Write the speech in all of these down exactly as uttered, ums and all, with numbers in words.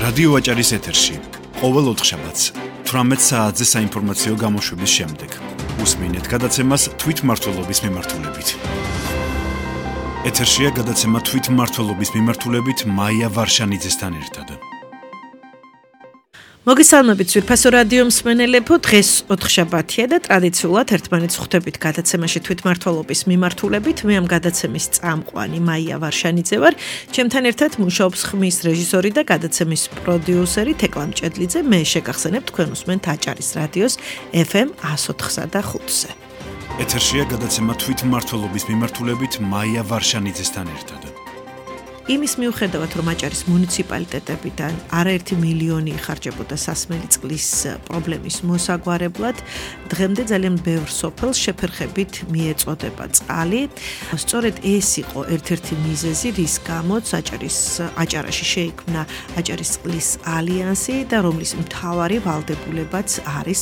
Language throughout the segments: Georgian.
რადიო აჭარის ეთერში ყოველ ოთხშაბათს თვრამეტ საათზე საინფორმაციო გამოშვების შემდეგ უსმინეთ გადაცემას თვითმმართველობის მიმართულებით. ეთერშია გადაცემა თვითმმართველობის მიმართულებით მაია ვარშანიძესთან ერთად. მოგესალმებით ძვირფასო რადიო მსმენელებო, დღეს ოთხშაბათია და ტრადიციულად ერთმანეთს ხვდებით გადაცემაში თვითმმართველობის მიმართულებით. მე ამ გადაცემის წამყვანი მაია ვარშანიძე ვარ. ჩემთან ერთად მუშაობს ხმის რეჟისორი და გადაცემის პროდიუსერი თეკლა მჭედლიძე. მე შეგახსენებ თქვენ უსმენთ აჭარის რადიოს ეფ ემ εκατო ოთხსა და ხუთზე. ეთერშია გადაცემა თვითმმართველობის მიმართულებით მაია ვარშანიძესთან ერთად. იმის მიუხედავად, რომ აჭარის მუნიციპალიტეტებიდან არაერთი მილიონი იხარჯებოდა სასმელი წყლის პრობლემის მოსაგვარებლად, დღემდე ძალიან ბევრ სოფელს შეფერხებით მიეწოდება წყალი. სწორედ ეს იყო ერთ-ერთი მიზეზი, რის გამოც აჭარის აჭარაში შეიქმნა აჭარის წყლის ალიანსი და რომლის მთავარი ვალდებულებაც არის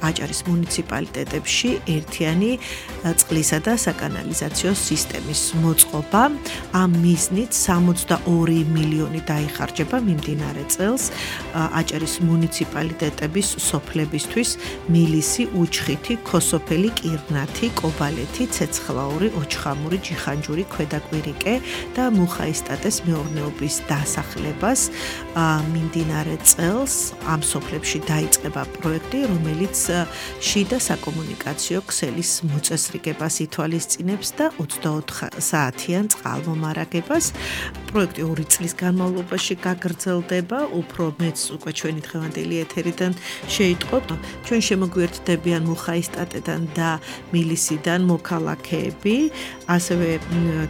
აჭარის მუნიციპალიტეტებში ერთიანი წყლისა და საკანალიზაციო სისტემის მოწყობა. ამ მიზნით სამოცდაორი მილიონი დაიხარჯება მიმდინარე წელს აჭარის მუნიციპალიტეტების სოფლებისთვის: მილისი, უჩხითი, ქოსოფელი, კირნათი, კობალეთი, ცეცხლაური, ოჩხამური, ჯიხანჯური, ქვედაკვირიკე და მუხაისტატეს მეურნეობის დასახლებას. მიმდინარე წელს ამ სოფლებში დაიწყება პროექტი, რომელიც შიდა საკომუნიკაციო ქსელის მოწესრიგებას ითვალისწინებს და ოცდაოთხ საათიან წყალმომარაგებას. პროექტი ორი წლის განმავლობაში გაგრძელდება, უფრო მეც უკვე ჩვენი დღევანდელი ეთერიდან შეიტყობ. ჩვენ შემოგვიერთდებიან მუხაისტატედან და მილისიდან მოქალაქეები, ასევე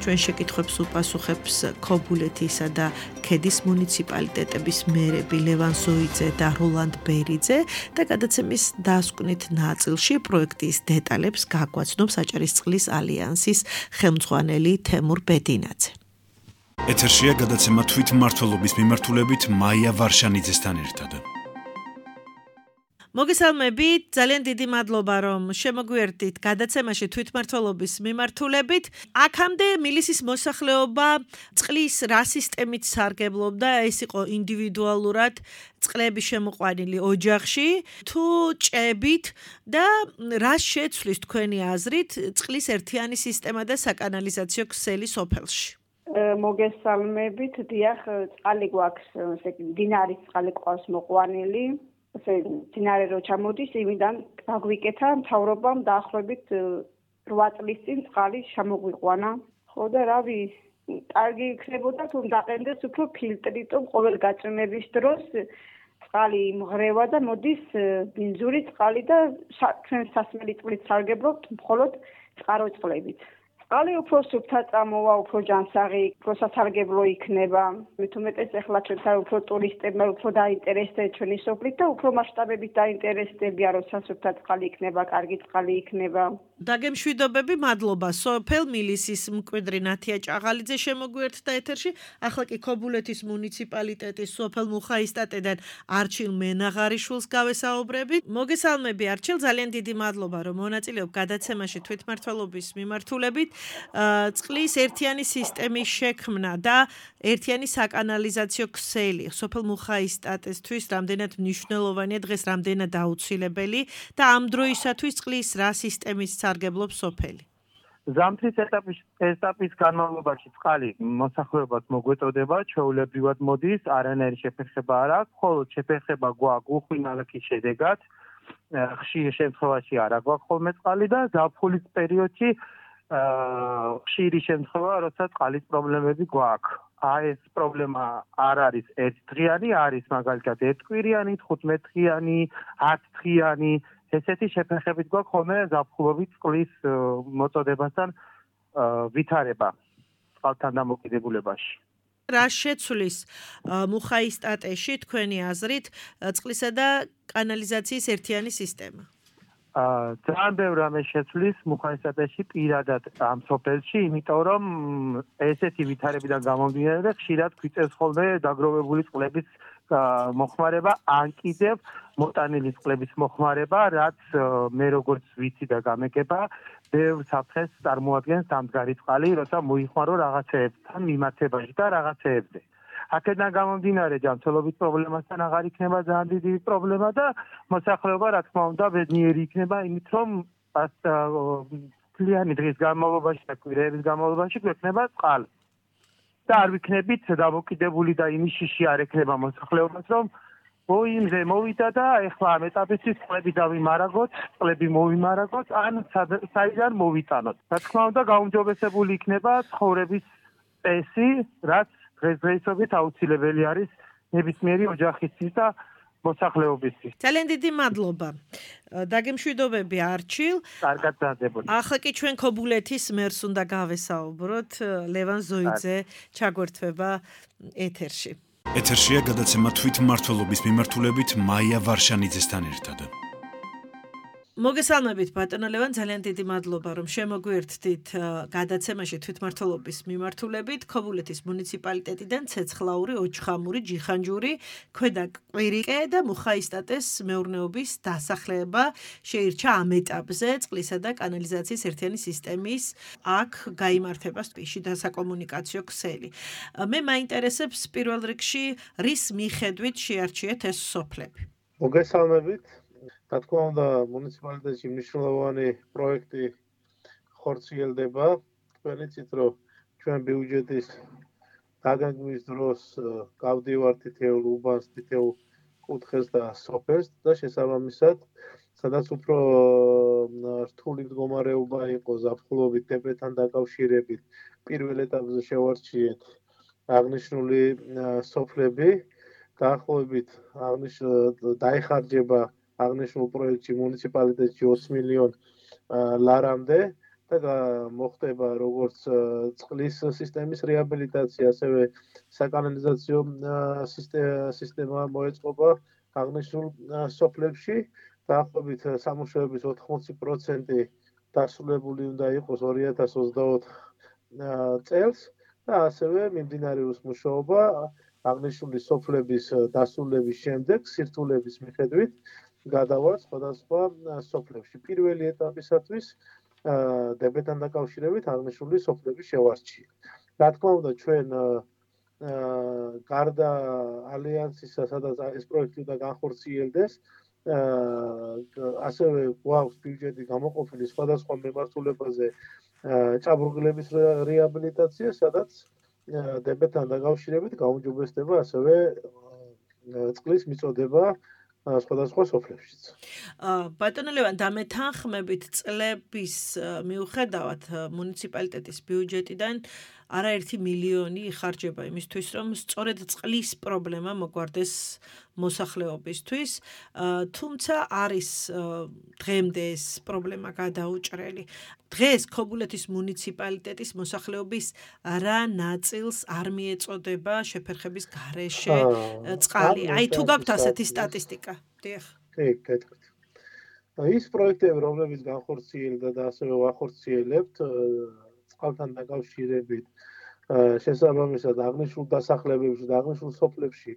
ჩვენ შეკითხვებს უპასუხებს ქობულეთისა და ქედის მუნიციპალიტეტების მერები ლევან ზოიძე და როლანდ ბერიძე და გადაცემის დასკვნით ნაწილში პროექტის დეტალებს გაგვაცნობს აჭარის წყლის ალიანსის ხელმძღვანელი თემურ ბედინაძე. ეთერშია გადაცემა თვითმმართველობის მიმართულებით მაია ვარშანიძესთან ერთად. მოგესალმებით, ძალიან დიდი მადლობა, რომ შემოგვიერთდით გადაცემაში თვითმმართველობის მიმართულებით. აქამდე მილისის მოსახლეობა წყლის რა სისტემით სარგებლობდა? ეს იყო ინდივიდუალურად წყლები შემოყვანილი ოჯახში, თუ ჭებით და რა შეცვლის თქვენი აზრით წყლის ერთიანი სისტემა და საკანალიზაციო ქსელი სოფელში? მოგესალმებით, დიახ, წყალი გვაქვს, ესე იგი, დინარის წყალი ყავს მოყვანილი. ესე დინარე რო ჩამოდის, იმიდან გაგვიკეთა მთავრობამ დაახლოებით რვა წლის წინ წყალი შემოგვიყვანა. ხო და რავი, კარგი იქნებოდა თუ დაყენდეს უფრო ფილტრი, თუ ყოველ გაწვიმების დროს წყალი იმღრევა და მოდის ბინძური წყალი და ჩვენ სასმელი წყლით სარგებლობთ მხოლოდ წყარო წყლებით. წყალი უფრო სუფთა წამოვა, უფრო ჯანსაღი, უფრო სასარგებლო იქნება. მით უმეტეს ახლა ჩვენთან უფრო ტურისტებმა უფრო დაინტერესდება ჩვენი სოფლით და უფრო მასშტაბებით დაინტერესდებიან, რომ სასუფთა წყალი იქნება, კარგი წყალი იქნება. დაგემშვიდობები, მადლობა. სოფელ მილისის მკვიდრი ნათია ჭაღალიძე შემოგვიერთდა ეთერში. ახლა კი ქობულეთის მუნიციპალიტეტის სოფელ მუხაისტატედან არჩილ მენაღარიშვილს გავესაუბრებით. მოგესალმები არჩილ, ძალიან დიდი მადლობა, რომ მონაწილეობ გადაცემაში თვითმმართველობის მიმართულებით. წყლის ერთიანი სისტემის შექმნა და ერთიანი საკანალიზაციო ქსელი სოფელ მუხაისტატესთვის რამდენად მნიშვნელოვანია, დღეს რამდენად აუცილებელი და ამ დროისათვის წყლის რა სისტემის სარგებლობს სოფელი? ზამთრის ეტაპის ეტაპის განმავლობაში წყალი მოსახლეობას მოგვეწოდება, ჩვეულებრივად მოდის, არანაირი შეფერხება არ აქვს, მხოლოდ შეფერხება გვაქვს უხვინალაკის შედეგად, ხშირ შემთხვევაში არ აქვს ხოლმე წყალი და ზაფხულის პერიოდში ხშირი შემთხვევა, როცა წყალის პრობლემები გვაქვს. აი ეს პრობლემა არ არის ერთდღიანი, არის მაგალითად ერთკვირიანი, თხუთმეტდღიანი, ათდღიანი, ესეთი შეფერხებით გვაქვს ხოლმე ზაფხულობით წყლის მოწოდებასთან ვითარება წყალთან დამოკიდებულებაში. რა შეცვლის მუხაისტატეში თქვენი აზრით წყლისა და კანალიზაციის ერთიანი სისტემა? ძალიან ბევრ რამე შეცვლის მუხაისტატეში პირადად ამ სოფელში, იმიტომ რომ ესეთი ვითარებიდან გამომდინარე ხშირად გვიწევს ხოლმე დაგროვებული წყლების მოხმარება, ან კიდევ მოტანილი წყლების მოხმარება, რაც მე როგორც ვიცი და გამეკება, ბევრ საფრთხეს წარმოადგენს დამდგარი წყალი, როცა მოიხმარო რაღაცეებთან მიმართებაში და რაღაცეებზე. აქედან გამომდინარე ჯანმრთელობის პრობლემასთან აღარ იქნება ძალიან დიდი პრობლემა და მოსახლეობა რა თქმა უნდა ბედნიერი იქნება იმით რომ მთლიანი დღის განმავლობაში და კვირების განმავლობაში გვექნება წყალი. და არ ვიქნებით დამოკიდებული და იმის შიში არ ექნება მოსახლეობას რომ მოიმზე მოვიდა და ეხლა ამ ეტაპისთვის წყლები დავიმარაგოთ, წყლები მოვიმარაგოთ, ან საიდან მოვიტანოთ. რა თქმა უნდა, გაუმჯობესებული იქნება ცხოვრების წესი, რაც დღესდღეობით აუცილებელი არის ნებისმიერი ოჯახისთვის და მოსახლეობისთვის. ძალიან დიდი მადლობა. დაგემშვიდობები არჩილ. კარგად დაძებოდი. ახლა კი ჩვენ ქობულეთის მერს უნდა გავესაუბროთ. ლევან ზოიძე ჩაგვერთვება ეთერში. ეთერშია გადაცემა თვითმმართველობის მიმართულებით მაია ვარშანიძესთან ერთად. მოგესალმებით ბატონო ლევან, ძალიან დიდი მადლობა რომ შემოგვიერთდით გადაცემაში თვითმმართველობის მიმართულებით. ქობულეთის მუნიციპალიტეტიდან ცეცხლაური, ოჩხამური, ჯიხანჯური, ქვედა კვირიკე და მუხაისტატეს მეურნეობის დასახლება შეირჩა ამ ეტაპზე წყლისა და კანალიზაციის ერთიანი სისტემის აქ გაიმართება სპიში და საკომუნიკაციო ქსელი. მე მაინტერესებს პირველ რიგში რის მიხედვით შეარჩიეთ ეს სოფლები. მოგესალმებით. რა თქმა უნდა, მუნიციპალიტეტში მნიშვნელოვანი პროექტი ხორციელდება. თქვენ იცით, რომ ჩვენ ბიუჯეტის დაგეგმვის დროს გავდივართ თითოეულ უბანს, თითოეულ კუთხეს და სოფელს და შესაბამისად, სადაც უფრო რთული მდგომარეობა იყო ზაფხულობით დებეთან დაკავშირებით, პირველ ეტაპზე შევარჩიეთ აღნიშნული სოფლები, დაახლოებით დაიხარჯება აღნიშნულ პროექტში მუნიციპალიტეტში ოც მილიონ ლარამდე და მოხდება როგორც წყლის სისტემის რეაბილიტაცია, ასევე საკანალიზაციო სისტემა მოეწყობა აღნიშნულ სოფლებში. დაახლოებით სამუშაოების ოთხმოცი პროცენტი დასრულებული უნდა იყოს ორი ათას ოცდაოთხ წელს და ასევე მიმდინარეობს მუშაობა აღნიშნული სოფლების დასრულების შემდეგ სირთულების მიხედვით გადავართ სხვადასხვა სოფლებში. პირველი ეტაპისათვის დებეთან დაკავშირებით აღნიშნული სოფლების შევარჩიეთ. რა თქმა უნდა, ჩვენ გარდა ალიანსისა, სადაც ეს პროექტი უნდა განხორციელდეს, ასევე გვაქვს ბიუჯეტი გამოყოფილი სხვადასხვა მიმართულებაზე ჭაბურღილების რეაბილიტაცია, სადაც დებეთან დაკავშირებით გაუმჯობესდება ასევე წყლის მიწოდება სხვადასხვა სოფლებშიც. ბატონო ლევან, დამეთანხმებით წლების მიუხედავად მუნიციპალიტეტის ბიუჯეტიდან არაერთი მილიონი იხარჯება იმისთვის, რომ სწორედ წყლის პრობლემა მოგვარდეს მოსახლეობისთვის, თუმცა არის დღემდე ეს პრობლემა გადაუჭრელი. დღეს ქობულეთის მუნიციპალიტეტის მოსახლეობის რა ნაწილს არ მიეწოდება შეფერხების გარეშე წყალი? აი თუ გაქვთ ასეთი სტატისტიკა. დიახ. კი, გეტყვით. ის პროექტები, რომლებიც განხორციელდა და ასევე ვახორციელებთ წყალთან დაკავშირებით, შესაბამისად აღნიშნულ დასახლებებში და აღნიშნულ სოფლებში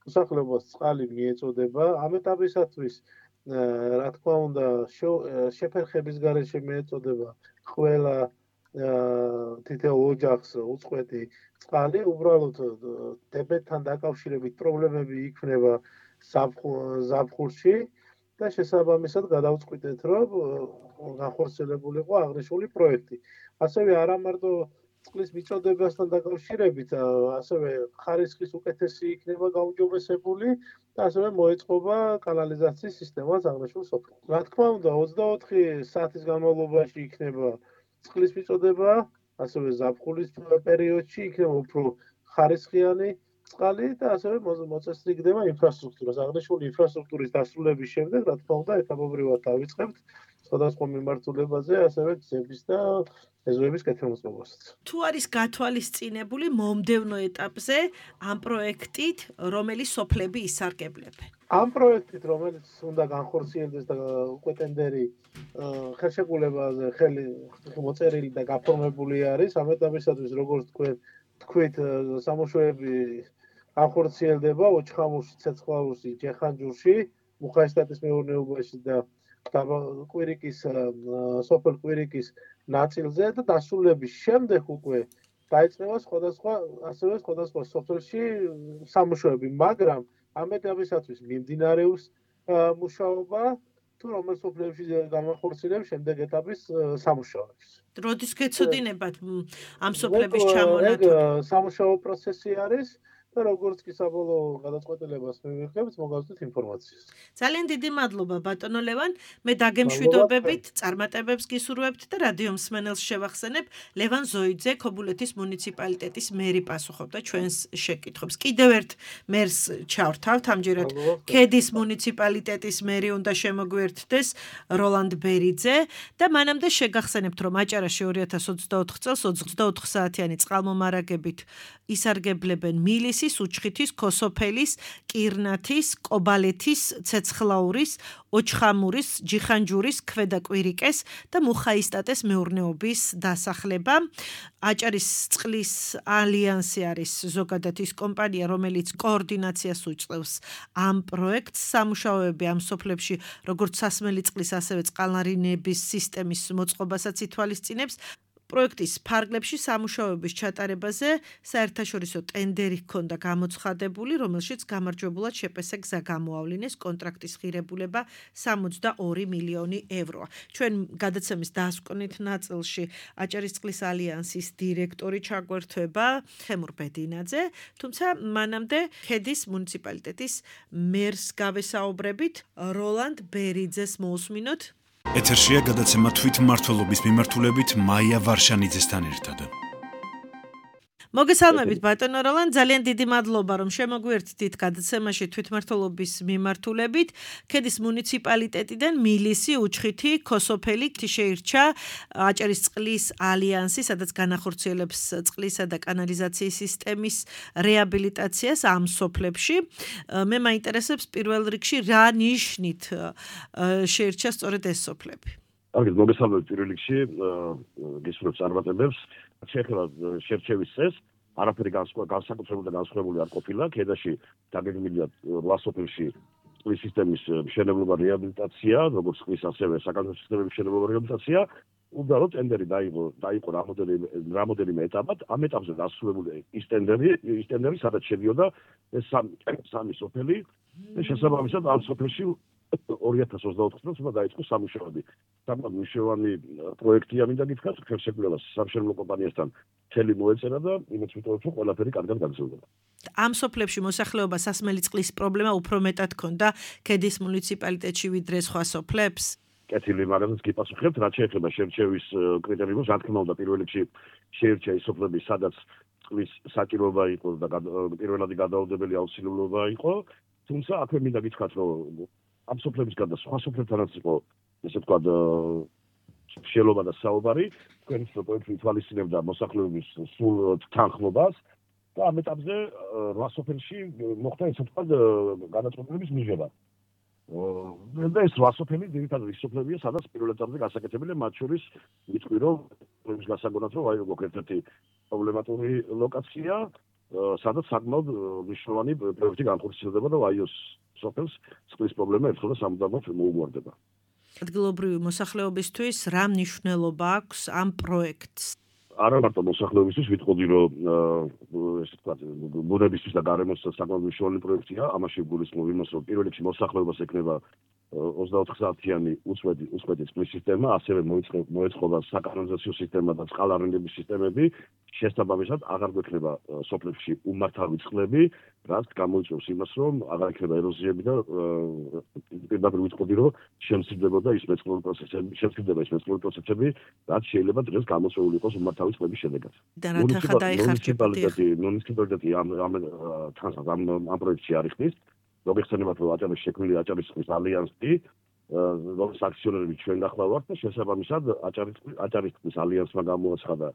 მოსახლეობას წყალი მიეწოდება. ამ ეტაპისათვის რა თქმა უნდა შეფერხების გარეშე მიეწოდება ყველა თითოეულ ოჯახს უწყვეტი წყალი. უბრალოდ დებეთთან დაკავშირებით პრობლემები იქნება ზაფხულში და შესაბამისად გადავწყვიტეთ, რომ განხორციელებულიყო აღნიშნული პროექტი. ასევე არა მარტო წყლის მიწოდებასთან დაკავშირებით, ასევე ხარისხის უკეთესი იქნება გაუმჯობესებული და ასევე მოეწყობა კანალიზაციის სისტემას აღნიშნულ სოფლებში. რა თქმა უნდა, ოცდაოთხი საათის განმავლობაში იქნება წყლის მიწოდება, ასევე ზაფხულის პერიოდში იქნება უფრო ხარისხიანი წყალი და ასევე მოწესრიგდება ინფრასტრუქტურას. აღნიშნული ინფრასტრუქტურის დასრულების შემდეგ, რა თქმა უნდა, ეტაპობრივად დავიწყებთ სხვადასხვა მიმართულებაზე, ასევე გზების და ეზოების კეთილმოწყობასაც. თუ არის გათვალისწინებული მომდევნო ეტაპზე ამ პროექტით, რომელი სოფლები ისარგებლებენ? ამ პროექტით, რომელიც უნდა განხორციელდეს და უკვე ტენდერი ხელშეკრულებაზე ხელი მოწერილი და გაფორმებული არის, ამ ეტაპისათვის როგორც თქვენ თქვით, სამუშაოები განხორციელდება ოჩხამურში, ცეცხლაურში, ჯეხანჯურში, მუხაისტატის მეურნეობაში და კვირიკის სოფელ კვირიკის ნაწილზე და დასრულების შემდეგ უკვე დაიწყება სხვადასხვა ასევე სხვადასხვა სოფელში სამუშაოები, მაგრამ ამ ეტაპისათვის მიმდინარეობს მუშაობა თუ რომელ სოფლებში გამახორციელებს შემდეგ ეტაპის სამუშაოებს. როდის გეცოდინებათ ამ სოფლების ჩამონათვლა? სამუშაო პროცესი არის და როგორც კი საბოლოო გადაწყვეტილებას მივიღებთ, მოგავსდით ინფორმაციას. ძალიან დიდი მადლობა ბატონო ლევან, მე დაგემშვიდობებით, წარმატებებს გისურვებთ და რადიო მსმენელს შევახსენებ, ლევან ზოიძე ქობულეთის მუნიციპალიტეტის მერი პასუხობდა ჩვენს შეკითხვებს. კიდევ ერთ მერს ჩავრთავთ, ამჯერად ქედის მუნიციპალიტეტის მერი უნდა შემოგვიერთდეს როლანდ ბერიძე და მანამდე შეგახსენებთ, რომ აჭარაში ორი ათას ოცდაოთხ წელს ოცდაოთხ საათიანი წყალმომარაგებით ისარგებლებენ მილისის, უჩხითის, ქოსოფელის, კირნათის, კობალეთის, ცეცხლაურის, ოჩხამურის, ჯიხანჯურის, ქვედაკვირიკეს და მუხაისტატეს მეურნეობის დასახლება. აჭარის წყლის ალიანსი არის ზოგადად ის კომპანია, რომელიც კოორდინაციას უწევს ამ პროექტს. სამუშაოები ამ სოფლებში, როგორც სასმელი წყლის, ასევე წყალნარინების სისტემის მოწყობასაც ითვალისწინებს. პროექტის ფარგლებში სამუშაოების ჩატარებაზე საერთაშორისო ტენდერი ჰქონდა გამოცხადებული, რომელშიც გამარჯვებულად შეპესე გზა გამოავლინეს, კონტრაქტის ღირებულება სამოცდაორი მილიონი ევროა. ჩვენ გადაცემის დასკვნით ნაწილში აჭარის წყლის ალიანსის დირექტორი ჩაგვერთვება ხემურ ბედინაძე, თუმცა მანამდე ქედის მუნიციპალიტეტის მერს გავესაუბრებით, როლანდ ბერიძეს მოусმინოთ. ეთერშია გადაცემა თვითმმართველობის მიმართულებით მაია ვარშანიძესთან ერთად. მოგესალმებით ბატონო როლანდ, ძალიან დიდი მადლობა რომ შემოგვიერთდით გადაცემაში თვითმმართველობის მიმართულებით. ქედის მუნიციპალიტეტიდან მილისი, უჩხითი, ქოსოფელი შეირჩა აჭარის წყლის ალიანსი, სადაც განახორციელებს წყლისა და კანალიზაციის სისტემის რეაბილიტაციას ამ სოფლებში. მე მაინტერესებს პირველ რიგში რა ნიშნით შეირჩა სწორედ ეს სოფლები. კარგი, მოგესალმებით პირველ რიგში, გისურვებ წარმატებებს. შეეხება შერჩევის წესს, არაფერი განსაკუთრებული და განსხვავებული არ ყოფილა. ქედაში დაგეგმილია რვა სოფელში წყლის სისტემის მშენებლობა რეაბილიტაცია, როგორც წყლის ასევე საკანონმდებლო სისტემების მშენებლობა რეაბილიტაცია. უბრალოდ ტენდერი დაიღო, დაიყო რამოდენიმე ეტაპად. ამ ეტაპზე დასრულებული ის ტენდერი, ის ტენდერი სადაც შედიოდა ეს სამი სოფელი და შესაბამისად ამ სოფელში ორი ათას ოცდაოთხ წელს უნდა დაიწყო სამუშაოები. საკმაოდ მნიშვნელოვანი პროექტია, მინდა გითხრათ, ხელშეკრულებას სამშენებლო კომპანიასთან მთელი მოეწერა და იმეც ვიტყოდეთ, რომ ყველაფერი კარგად გაგრძელდება. ამ სოფლებში მოსახლეობა სასმელი წყლის პრობლემა უფრო მეტად ჰქონდა ქედის მუნიციპალიტეტში ვიდრე სხვა სოფლებს. კეთილი, მაგრამ გიპასუხებთ, რაც შეეხება შერჩევის კრიტერიუმებს, რა თქმა უნდა, პირველ რიგში შეირჩა ის სოფლები, სადაც წყლის საჭიროება იყო და პირველადი გადაუდებელი აუცილებლობა იყო. თუმცა აქვე მინდა გითხრათ, რომ ამ სოფლების გარდა სხვა სოფლებთანაც იყო, ესე ვთქვათ, შელობა და საუბარი, თქვენი პროექტი ითვალისწინებდა მოსახლეობის სულ თანხმობას და ამ ეტაპზე რვა სოფელში მოხდა ესე ვთქვათ განაწყვეტილების მიღება. და ეს რვა სოფელი ძირითადად ის სოფლებია, სადაც პირველ ეტაპზე გასაკეთებია, მათ შორის ვიტყვი, რომ პროექტის გასაგონად, რომ აი როგორ ერთ-ერთი პრობლემატური ლოკაცია, სადაც საკმაოდ მნიშვნელოვანი პროექტი განხორციელდება და აი ეს სოფელს წყლის პრობლემა ერთხელ და სამუდამოდ მოუგვარდება. ადგილობრივი მოსახლეობისთვის რა მნიშვნელობა აქვს ამ პროექტს? არა მარტო მოსახლეობისთვის, ვიტყოდი, რომ ესე ვთქვათ, ბუნებისთვის და გარემოსთვის საკმაოდ მნიშვნელოვანი პროექტია, ამაში გულისხმობ იმას, რომ პირველ რიგში მოსახლეობას ეკნება ოცდაოთხ საათიანი უწყვეტი უწყვეტი წყლის სისტემა, ასევე მოეწყობა საკანონიზაციო სისტემა და წყალარენების სისტემები, შესაბამისად აღარ გვექნება სოფლებში უმართავი წყლები, რაც გამოიწვევს იმას, რომ აღარ იქნება ეროზიები და პირდაპირ ვიტყოდი, რომ შემცირდებოდა ის მეწყრული პროცესები, შემცირდება ის მეწყრული პროცესები, რაც შეიძლება დღეს გამოწვეული იყოს უმართავი წყლების შედეგად. მუნიციპალიტეტი ამ ამ ამ პროექტში არ იქნის. მოგეხსენებათ, რომ აჭარის შექმნილი აჭარის წყლის ალიანსი, რომლის აქციონერები ჩვენ ახლა ვართ და შესაბამისად აჭარის აჭარის წყლის ალიანსმა გამოაცხადა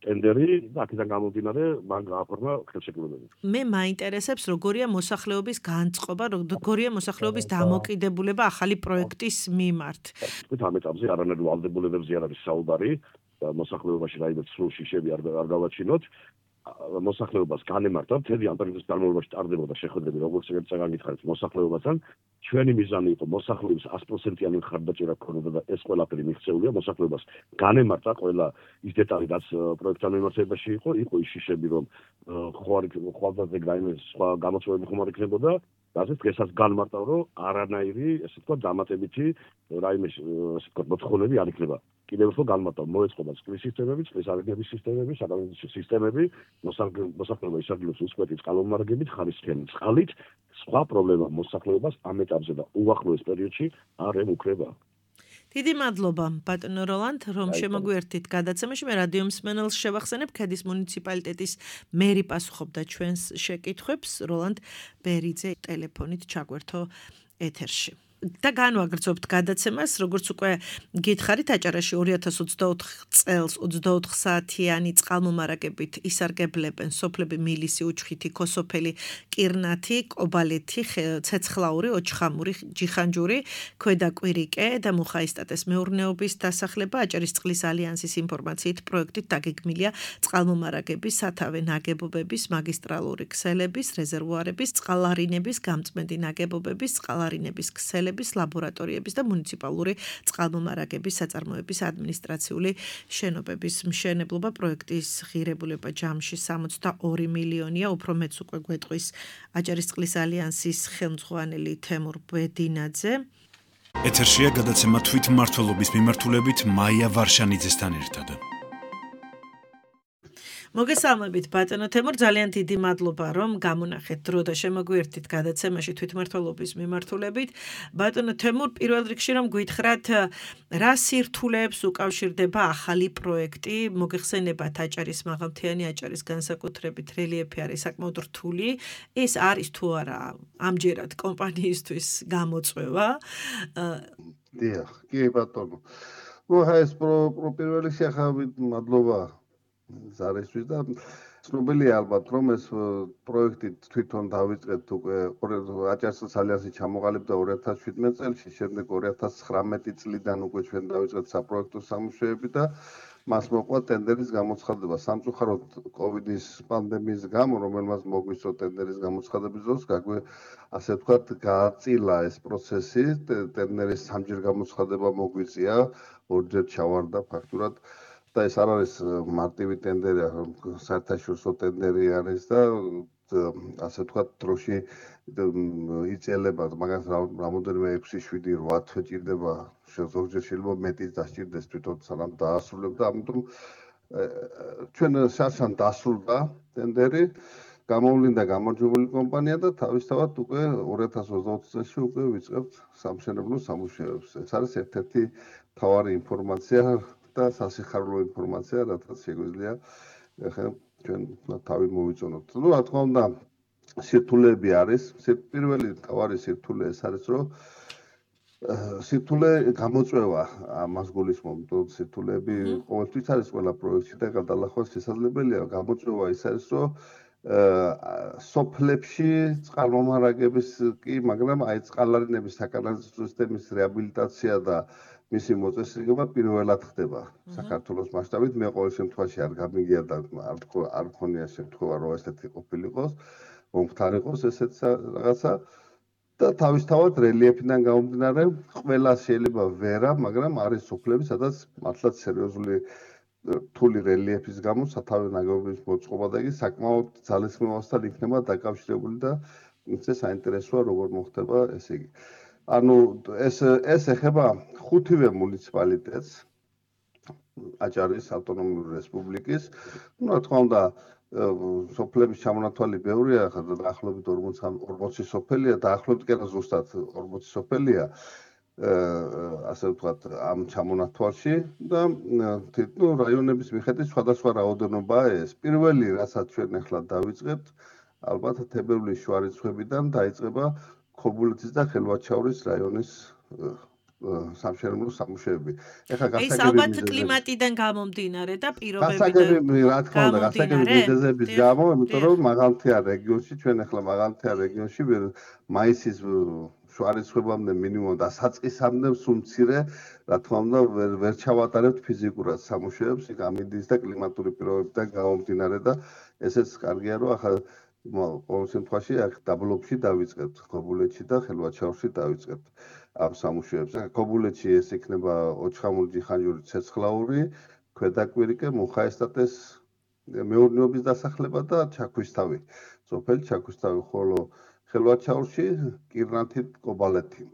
ტენდერი და აქედან გამომდინარე მან გააფორმა ხელშეკრულებები. მე მაინტერესებს, როგორია მოსახლეობის განწყობა, როგორია მოსახლეობის დამოკიდებულება ახალი პროექტის მიმართ. თქვით ამ ეტაპზე არანაირ ვალდებულებებზე არ არის საუბარი, მოსახლეობაში რაიმე სრულ შიშები არ არ გავაჩინოთ. მოსახლეობას განემართა მთელი ამ პერიოდის განმავლობაში ტარდებოდა შეხვედრები როგორც ერთ წაგანითხარით მოსახლეობასთან ჩვენი მიზანი იყო მოსახლეობის one hundred percent-იანი მხარდაჭერა ქონოდა და ეს ყველაფერი მიღწეულია მოსახლეობას განემართა ყველა ის დეტალი რაც პროექტთან მიმართებაში იყო იყო ის შიშები რომ ხوار ხვალდაზე რაიმე სხვა გამოწვევები ხომ არ იქნებოდა რაზეც დღესაც განმარტავ რომ არანაირი ესე ვთქვათ დამატებითი რაიმე ესე ვთქვათ მოთხოვნები არ იქნება კიდევ ერთხელ განმარტავ მოეწყობა წყლის სისტემები წყლის არიგების სისტემები საკანონმდებლო სისტემები მოსახლეობა ისარგებლოს უწყვეტი წყალმომარაგებით ხარისხიანი წყალით სხვა პრობლემა მოსახლეობას ამ ეტაპზე და უახლოეს პერიოდში არ ემუქრება დიდი მადლობა ბატონო როლანდ რომ შემოგვიერთდით გადაცემაში მე რადიო მსმენელს შევახსენებ ქედის მუნიციპალიტეტის მერი პასუხობდა ჩვენს შეკითხვებს როლანდ ბერიძე ტელეფონით ჩაგვერთო ეთერში და განვაგრძობთ გადაცემას როგორც უკვე გითხარით აჭარაში two thousand twenty-four წელს twenty-four საათიანი წყალმომარაგებით ისარგებლებენ სოფლები მილისი უჩხითი ქოსოფელი კირნათი კობალეთი ცეცხლაური ოჩხამური ჯიხანჯური ქვედაკვირიკე და მუხაისტატეს მეურნეობის დასახლება აჭარის წყლის ალიანსის ინფორმაციით პროექტით დაგეგმილია წყალმომარაგების სათავე ნაგებობების მაგისტრალური ქსელების რეზერვუარების წყალარინების გამწმენდი ნაგებობების წყალარინების ქსელების ლაბორატორიების და მუნიციპალური წყალმომარაგების საწარმოების ადმინისტრაციული შენობების მშენებლობა პროექტის ღირებულება ჯამში sixty-two მილიონია უფრო მეც უკვე გვეტყვის აჭარის წყლის ალიანსის ხელმძღვანელი თემურ ბედინაძე ეთერშია გადაცემა თვითმმართველობის მიმართულებით მაია ვარშანიძესთან ერთად მოგესალმებით ბატონო თემურ ძალიან დიდი მადლობა რომ გამონახეთ დრო და შემოგვიერთდით გადაცემაში თვითმმართველობის მიმართულებით ბატონო თემურ პირველ რიგში რომ გითხრათ რა სირთულეებს უკავშირდება ახალი პროექტი მოგეხსენებათ აჭარის მაღალმთიანი აჭარის განსაკუთრებით რელიეფი არის საკმაოდ რთული ეს არის თუ არა ამჯერად კომპანიისთვის გამოწვევა დიახ კი ბატონო ნუ ეს პირველ რიგში ახლა მადლობა ზარისთვის და ცნობილია ალბათ რომ ეს პროექტი თვითონ დავიწყეთ უკვე აჭარის ალიანსი ჩამოყალიბდა two thousand seventeen წელს შემდეგ two thousand nineteen წლიდან უკვე ჩვენ დავიწყეთ საპროექტო სამუშაოები და მას მოყვა ტენდერის გამოცხადება სამწუხაროდ კოვიდის პანდემიის გამო რომელმაც მოგვისწრო ტენდერის გამოცხადების დროს გაგვე ასე ვთქვათ გააწილა ეს პროცესი ტენდერის სამჯერ გამოცხადება მოგვიწია ორჯერ ჩავარდა ფაქტურად და ეს არ არის მარტივი ტენდერი, საერთაშორისო ტენდერი არის და ასე ვთქვათ დროში იწელება, მაგას რამოდენიმე six, seven, eight თვე ჭირდება, ზოგჯერ შეიძლება მეტიც დასჭირდეს თვითონ სანამ დაასრულებ და ამიტომ ჩვენ შარშან დასრულდა ტენდერი, გამოვლინდა გამარჯვებული კომპანია და თავისთავად უკვე two thousand twenty წელს უკვე ვიწყებთ სამშენებლო სამუშაოებს. ეს არის ერთ-ერთი მთავარი ინფორმაცია და სასიხარულო ინფორმაცია, რაც შეგვიძლია ახლა ჩვენ თავი მოვიწონოთ. ნუ რა თქმა უნდა, სირთულეები არის. პირველი თავარი სირთულე ეს არის, რომ სირთულე გამოწვევა ამას გულისხმობთ. სირთულეები ყოველთვის არის ყველა პროექტში და გადალახვა შესაძლებელია. გამოწვევა ის არის, რომ სოფლებში წყალმომარაგების კი, მაგრამ აი წყალარინების საკანალიზაციო სისტემის რეაბილიტაცია და მისი მოწესრიგება პირველად ხდება საქართველოს მასშტაბით. მე ყოველ შემთხვევაში არ გამიგია და არ მქონია შემთხვევა რომ ესეთი ყოფილიყოს, მომხდარიყოს ესეც რაღაცა და თავისთავად რელიეფიდან გამომდინარე ყველა შეიძლება ვერა, მაგრამ არის სოფლები, სადაც მართლაც სერიოზული რთული რელიეფის გამო სათავე ნაგებობის მოწყობა და იგი საკმაოდ ძალისხმევასთან იქნება დაკავშირებული და ეს საინტერესოა როგორ მოხდება ესე იგი. ანუ ეს ეს ეხება ხუთივე მუნიციპალიტეტს აჭარის ავტონომიური რესპუბლიკის. ნუ რა თქმა უნდა სოფლების ჩამონათვალი ბევრია, ხა დაახლოებით forty სოფელია, დაახლოებით კი არა ზუსტად forty სოფელია. ასე ვთქვათ ამ ჩამონათვალში და ნუ რაიონების მიხედვით სხვადასხვა რაოდენობაა ეს. პირველი რასაც ჩვენ ახლა დავიწყებთ, ალბათ თებერვლის შუა რიცხვებიდან დაიწყება ქობულეთის და ხელვაჩაურის რაიონის სამშენებლო სამუშაოები. ეხლა გასაგები ეს ალბათ კლიმატიდან გამომდინარე და პირობებიდან. გასაგები რა თქმა უნდა, გასაგები მიზეზების გამო, იმიტომ რომ მაღალმთიან რეგიონში ჩვენ ახლა მაღალმთიან რეგიონში მაისის შუა რიცხვებამდე მინიმუმ და საწყისამდე სულ მცირე, რა თქმა უნდა, ვერ ჩავატარებთ ფიზიკურად სამუშაოებს, იქ ამინდის და კლიმატური პირობებიდან გამომდინარე და ესეც კარგია, რომ ახლა ყოველ შემთხვევაში აქ დაბლობში დავიწყებთ, ქობულეთში და ხელვაჩაურში დავიწყებთ ამ სამუშაოებს. ქობულეთში ეს იქნება ოჩხამურჯიხანჯური ცეცხლაური, ქვედაკვირიკე, მუხაესტატეს მეურნეობის დასახლება და ჩაქვისთავი. სოფელი ჩაქვისთავი, ხოლო ხელვაჩაურში კირნათით კობალეთი.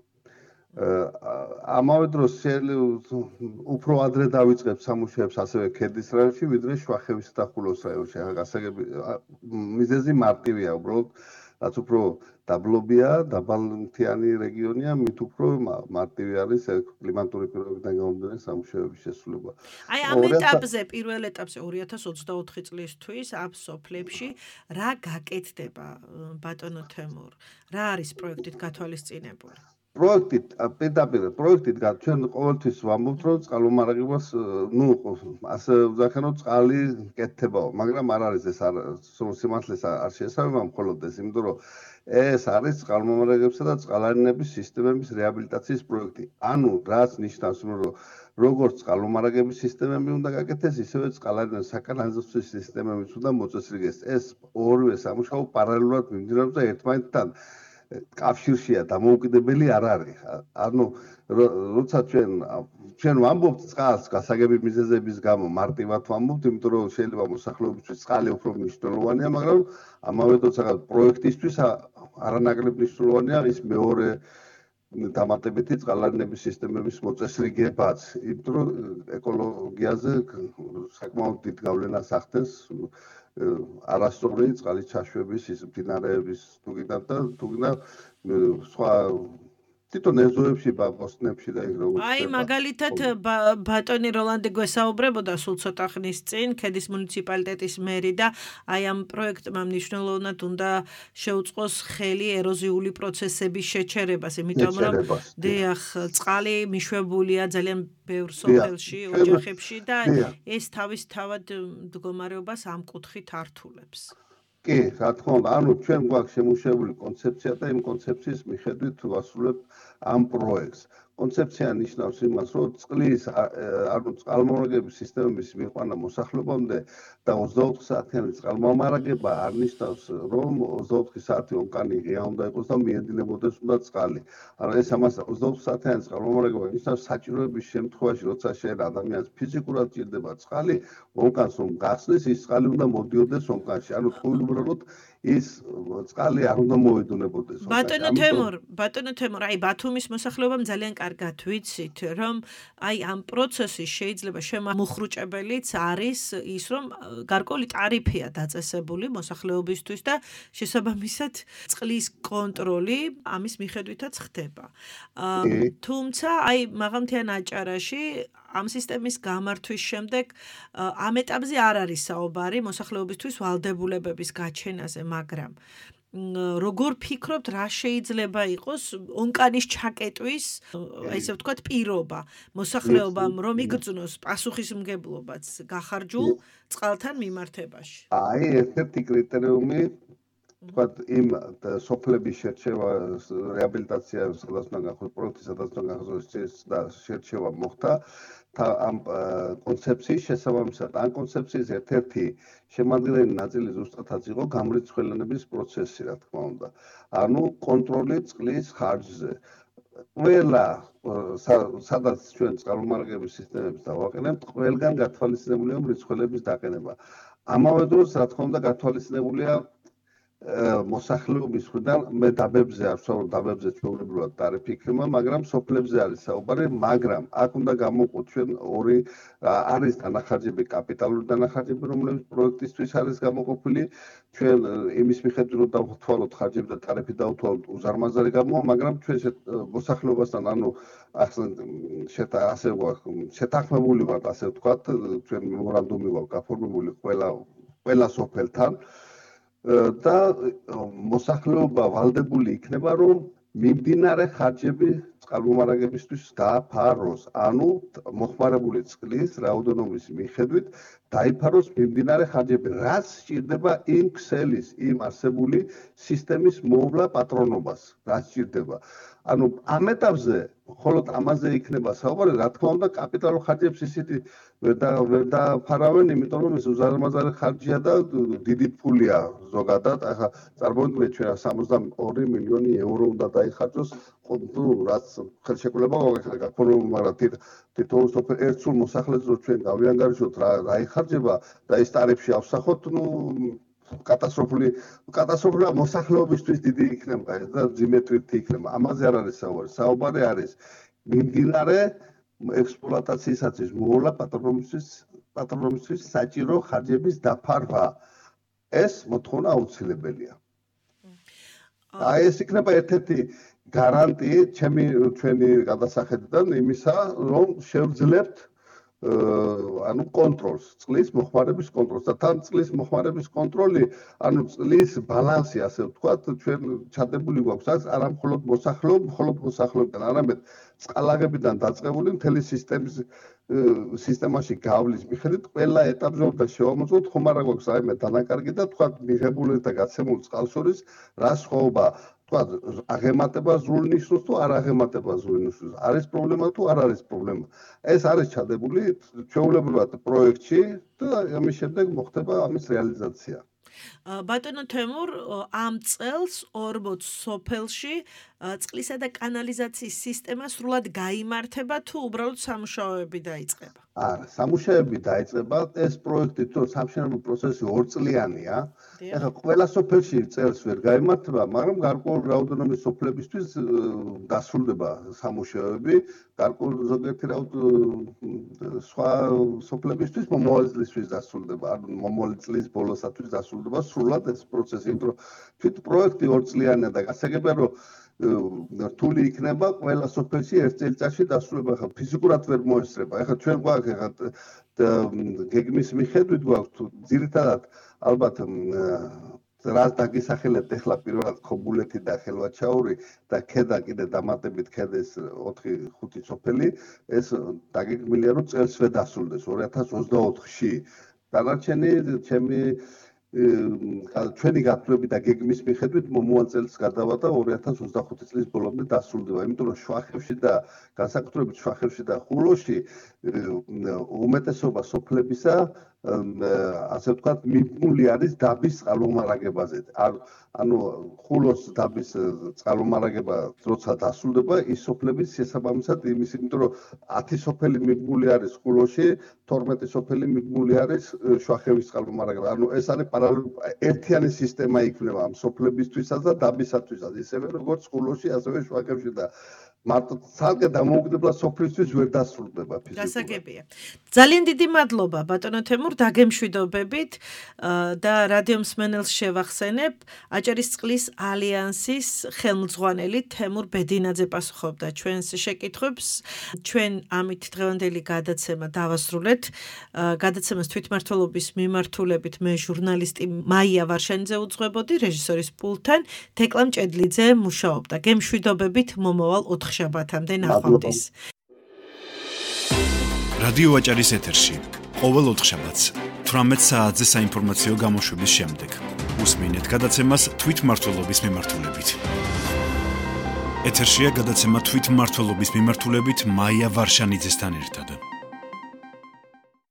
ამავე დროს უფრო ადრე დავიწყებთ სამუშაოებს ასევე ქედის რაიონში, ვიდრე შვახევის და ხულოს რაიონში. გასაგები მიზეზი მარტივია, უბრალოდ რაც უფრო დაბლობია, დაბალმთიანი რეგიონია, მით უფრო მარტივი არის კლიმატური პირობებიდან გამომდინარე სამუშაოების შესრულება. აი ამ ეტაპზე, პირველ ეტაპზე ორი ათას ოცდაოთხი წლისთვის ამ სოფლებში რა გაკეთდება, ბატონო თემურ? რა არის პროექტით გათვალისწინებული? პროექტით, პირდაპირ პროექტით ჩვენ ყოველთვის ვამბობთ, რომ წყალმომარაგებას, ნუ ასე ვძახენოთ, წყალი კეთდებაო, მაგრამ არ არის ეს სულ სიმართლეს არ შეესაბამება მხოლოდ ეს, იმიტომ რომ ეს არის წყალმომარაგებისა და წყალარინების სისტემების რეაბილიტაციის პროექტი. ანუ რაც ნიშნავს, რომ როგორც წყალმომარაგების სისტემები უნდა გაკეთდეს, ისევე წყალარინების საკანალიზაციო სისტემებიც უნდა მოწესრიგდეს. ეს ორივე სამუშაო პარალელურად მიმდინარეობს და ერთმანეთთან კავშირშია, დამოუკიდებელი არ არის. ანუ როცა ჩვენ ჩვენ ვამბობთ წყალს გასაგები მიზეზების გამო მარტივად ვამბობთ, იმიტომ რომ შეიძლება მოსახლეობისთვის წყალი უფრო მნიშვნელოვანია, მაგრამ ამავე დროს პროექტისთვის არანაკლებ მნიშვნელოვანია ის მეორე დამატებითი წყალარინების სისტემების მოწესრიგებაც, იმიტომ რომ ეკოლოგიაზე საკმაოდ დიდ გავლენას ახდენს არასწორი წყალის ჩაშვების ის მდინარეების თუგინარ და თუგინარ სხვა თვითონ ეზოებში, ბოსტნებში და იქ როგორც აი მაგალითად ბატონი როლანდი გვესაუბრებოდა სულ ცოტა ხნის წინ ქედის მუნიციპალიტეტის მერი და აი ამ პროექტმა მნიშვნელოვნად უნდა შეუწყოს ხელი ეროზიული პროცესების შეჩერებას, იმიტომ რომ დიახ, წყალი მიშვებულია ძალიან ბევრ სოფელში, ოჯახებში და ეს თავისთავად მდგომარეობას ამ კუთხით ართულებს. კი, რა თქმა უნდა, ანუ ჩვენ გვაქვს შემუშავებული კონცეფცია და იმ კონცეფციის მიხედვით ვასრულებთ ამ პროექტს. კონცეფცია ნიშნავს იმას, რომ წყლის, ანუ წყალმომარაგების სისტემების მიყვანა მოსახლეობამდე და ოცდაოთხ საათიანი წყალმომარაგება არ ნიშნავს, რომ ოცდაოთხი საათი ომკანი ღია უნდა იყოს და მიედინებოდეს უნდა წყალი. ანუ ეს ამას ოცდაოთხ საათიანი წყალმომარაგება ნიშნავს საჭიროების შემთხვევაში, როცა შენ ადამიანს ფიზიკურად ჭირდება წყალი, ომკანს რომ გახსნის, ის წყალი უნდა მოდიოდეს ომკანში. ანუ უბრალოდ ის წყალი არ უნდა მოედუნებოდეს. ბატონო თემურ, ბატონო თემურ, აი ბათუმის მოსახლეობამ ძალიან კარგად ვიცით, რომ აი ამ პროცესის შეიძლება შემოხრუჭებელიც არის ის, რომ გარკვეული ტარიფია დაწესებული მოსახლეობისთვის და შესაბამისად წყლის კონტროლი ამის მიხედვითაც ხდება. თუმცა აი მაღალმთიან აჭარაში ამ სისტემის გამართვის შემდეგ ამ ეტაპზე არ არის საუბარი მოსახლეობისთვის ვალდებულებების გაჩენაზე, მაგრამ როგორ ფიქრობთ, რა შეიძლება იყოს ონკანის ჩაკეტვის, ესე ვთქვათ, პირობა მოსახლეობამ, რომ იგრძნოს პასუხისმგებლობაც გახარჯულ წყალთან მიმართებაში? აი, ერთ-ერთი კრიტერიუმი თქვათ იმ სოფლების შერჩევა, რეაბილიტაცია, სადაც უნდა გახსოვდეს პროექტი, სადაც უნდა გახსოვდეს და შერჩევა მოხდა ამ კონცეფციის შესაბამისად. ამ კონცეფციის ერთ-ერთი შემადგენელი ნაწილი ზუსტადაც იყო გამრიცხველენების პროცესი, რა თქმა უნდა. ანუ კონტროლი წყლის ხარჯზე. ყველა სადაც ჩვენ წყალმომარაგების სისტემებს დავაყენებთ, ყველგან გათვალისწინებულია მრიცხველების დაყენება. ამავე დროს, რა თქმა უნდა, გათვალისწინებულია მოსახლეობის მხრიდან მე დაბებზე არ ვსაუბრობ, დაბებზე ჩვეულებრივად ტარიფი იქნება, მაგრამ სოფლებზე არის საუბარი, მაგრამ აქ უნდა გამოვყოთ ჩვენ ორი არის დანახარჯები, კაპიტალური დანახარჯები, რომლებიც პროექტისთვის არის გამოყოფილი, ჩვენ იმის მიხედვით რომ დავთვალოთ ხარჯები და ტარიფი დავთვალოთ უზარმაზარი გამოვა, მაგრამ ჩვენ მოსახლეობასთან ანუ ასე შეთანხმებული ვართ, ასე ვთქვათ, ჩვენ მემორანდუმი გვაქვს გაფორმებული ყველა ყველა სოფელთან და მოსახლეობა ვალდებული იქნება, რომ მიმდინარე ხარჯები წყალმომარაგებისთვის დააფაროს, ანუ მოხმარებული წყლის რაოდენობის მიხედვით დაიფაროს მიმდინარე ხარჯები, რაც სჭირდება იმ ქსელის, იმ არსებული სისტემის მოვლა პატრონობას, რაც სჭირდება. ანუ ამ ეტაპზე მხოლოდ ამაზე იქნება საუბარი, რა თქმა უნდა, კაპიტალურ ხარჯებს ისეთი ვერ და ვერ დაფარავენ, იმიტომ რომ ეს უზარმაზარი ხარჯია და დიდი ფულია ზოგადად. ახლა წარმოიდგინეთ ჩვენ სამოცდაორი მილიონი ევრო უნდა დაიხარჯოს, თუ რაც ხელშეკრულება გაქონებულ, მაგრამ თითოეულ ერთ სულ მოსახლეს რო ჩვენ გავიანგარიშოთ რა რა იხარჯება და ეს ტარიფში ავსახოთ, ნუ კატასტროფული კატასტროფული მოსახლეობისთვის დიდი იქნება და ძიმეთვირთი იქნება. ამაზე არ არის საუბარი. საუბარი არის მიმდინარე ექსპლუატაციისათვის მოულა პატრონისთვის პატრონისთვის საჭირო ხარჯების დაფარვა. ეს მოთხოვნა აუცილებელია. აი ეს იქნება ერთ-ერთი გარანტი ჩემი ჩვენი გადასახედიდან იმისა, რომ შევძლებთ ანუ კონტროლს, წყლის მოხმარების კონტროლს და თან წყლის მოხმარების კონტროლი, ანუ წყლის ბალანსი, ასე ვთქვათ, ჩვენ ჩადებული გვაქვს არა მხოლოდ მოსახლეობ, მხოლოდ მოსახლეობიდან, არამედ წყალაღებიდან დაწყებული მთელი სისტემის სისტემაში გავლის მიხედვით ყველა ეტაპზე უნდა შევამოწმოთ, ხომ არა გვაქვს რაიმე დანაკარგი და თქვა მიღებული და გაცემულ წყალს შორის რა სხვაობა თქვა აღემატება ზრულ ნიშნულს თუ არ აღემატება ზრულ ნიშნულს. არის პრობლემა თუ არ არის პრობლემა. ეს არის ჩადებული ჩვეულებრივად პროექტში და ამის შემდეგ მოხდება ამის რეალიზაცია. ბატონო თემურ, ამ წელს ორმოც სოფელში წყლისა და კანალიზაციის სისტემა სრულად გაიმართება თუ უბრალოდ სამუშაოები დაიწყება? არა, სამუშაოები დაიწყება. ეს პროექტი თუ სამშენებლო პროცესი ორწლიანია. ეხლა ყველა სოფელში წელს ვერ გაიმართება, მაგრამ გარკვეული რაოდენობის სოფლებისთვის დასრულდება სამუშაოები. გარკვეული ზოგიერთი რაოდენობის სხვა სოფლებისთვის მომავალი წლისთვის დასრულდება, ანუ მომავალი წლის ბოლოსათვის დასრულდება სრულად ეს პროცესი, იმიტომ რომ თვით პროექტი ორწლიანია და გასაგებია რომ რთული იქნება ყველა სოფელში ერთ წელიწადში დასრულება. ახლა ფიზიკურად ვერ მოესწრება. ახლა ჩვენ გვაქვს ახლა გეგმის მიხედვით გვაქვს ძირითადად ალბათ რაც დაგისახელეთ ახლა პირველად ქობულეთი და ხელვაჩაური და ქედა კიდე დამატებით ქედეს ოთხი ხუთი სოფელი, ეს დაგეგმილია რომ წელს ვერ დასრულდეს ორი ათას ოცდაოთხში. დანარჩენი ჩემი ჩვენი გათვლები და გეგმის მიხედვით მომავალ წელს გადავა და ორი ათას ოცდახუთი წლის ბოლომდე დასრულდება, იმიტომ რომ შვახევში და განსაკუთრებით შვახევში და ხულოში უმეტესობა სოფლებისა ასე ვთქვათ მიბმული არის დაბის წყალმომარაგებაზე. ანუ ხულოს დაბის წყალმომარაგება როცა დასრულდება, ის სოფლები შესაბამისად იმის, იმიტომ რომ ათი სოფელი მიბმული არის ხულოში, თორმეტი სოფელი მიბმული არის შვახევის წყალმომარაგება. ანუ ეს არის ერთიანი სისტემა იქნება ამ სოფლებისთვისაც და დაბისათვისაც, ისევე როგორც ხულოში, ასევე შვახევში და მარტო ცალკე დამოუკიდებელ სოფლისთვის ვერ დასრულდება ფიზიკურად. გასაგებია. ძალიან დიდი მადლობა ბატონო თემურ, დაგემშვიდობებით და რადიო მსმენელს შევახსენებ, აჭარისწყლის ალიანსის ხელმძღვანელი თემურ ბედინაძე პასუხობდა ჩვენს შეკითხვებს. ჩვენ ამით დღევანდელი გადაცემა დავასრულეთ. გადაცემას თვითმმართველობის მიმართულებით მე ჟურნალისტი მაია ვარშანიძე უძღვებოდი, რეჟისორის პულტთან თეკლა მჭედლიძე მუშაობდა. გემშვიდობებით მომავალ ოთხშაბათამდე ნახვამდის. რადიო აჭარის ეთერში ყოველ ოთხშაბათს თვრამეტ საათზე საინფორმაციო გამოშვების შემდეგ უსმინეთ გადაცემას თვითმმართველობის მიმართულებით. ეთერშია გადაცემა თვითმმართველობის მიმართულებით მაია ვარშანიძესთან ერთად.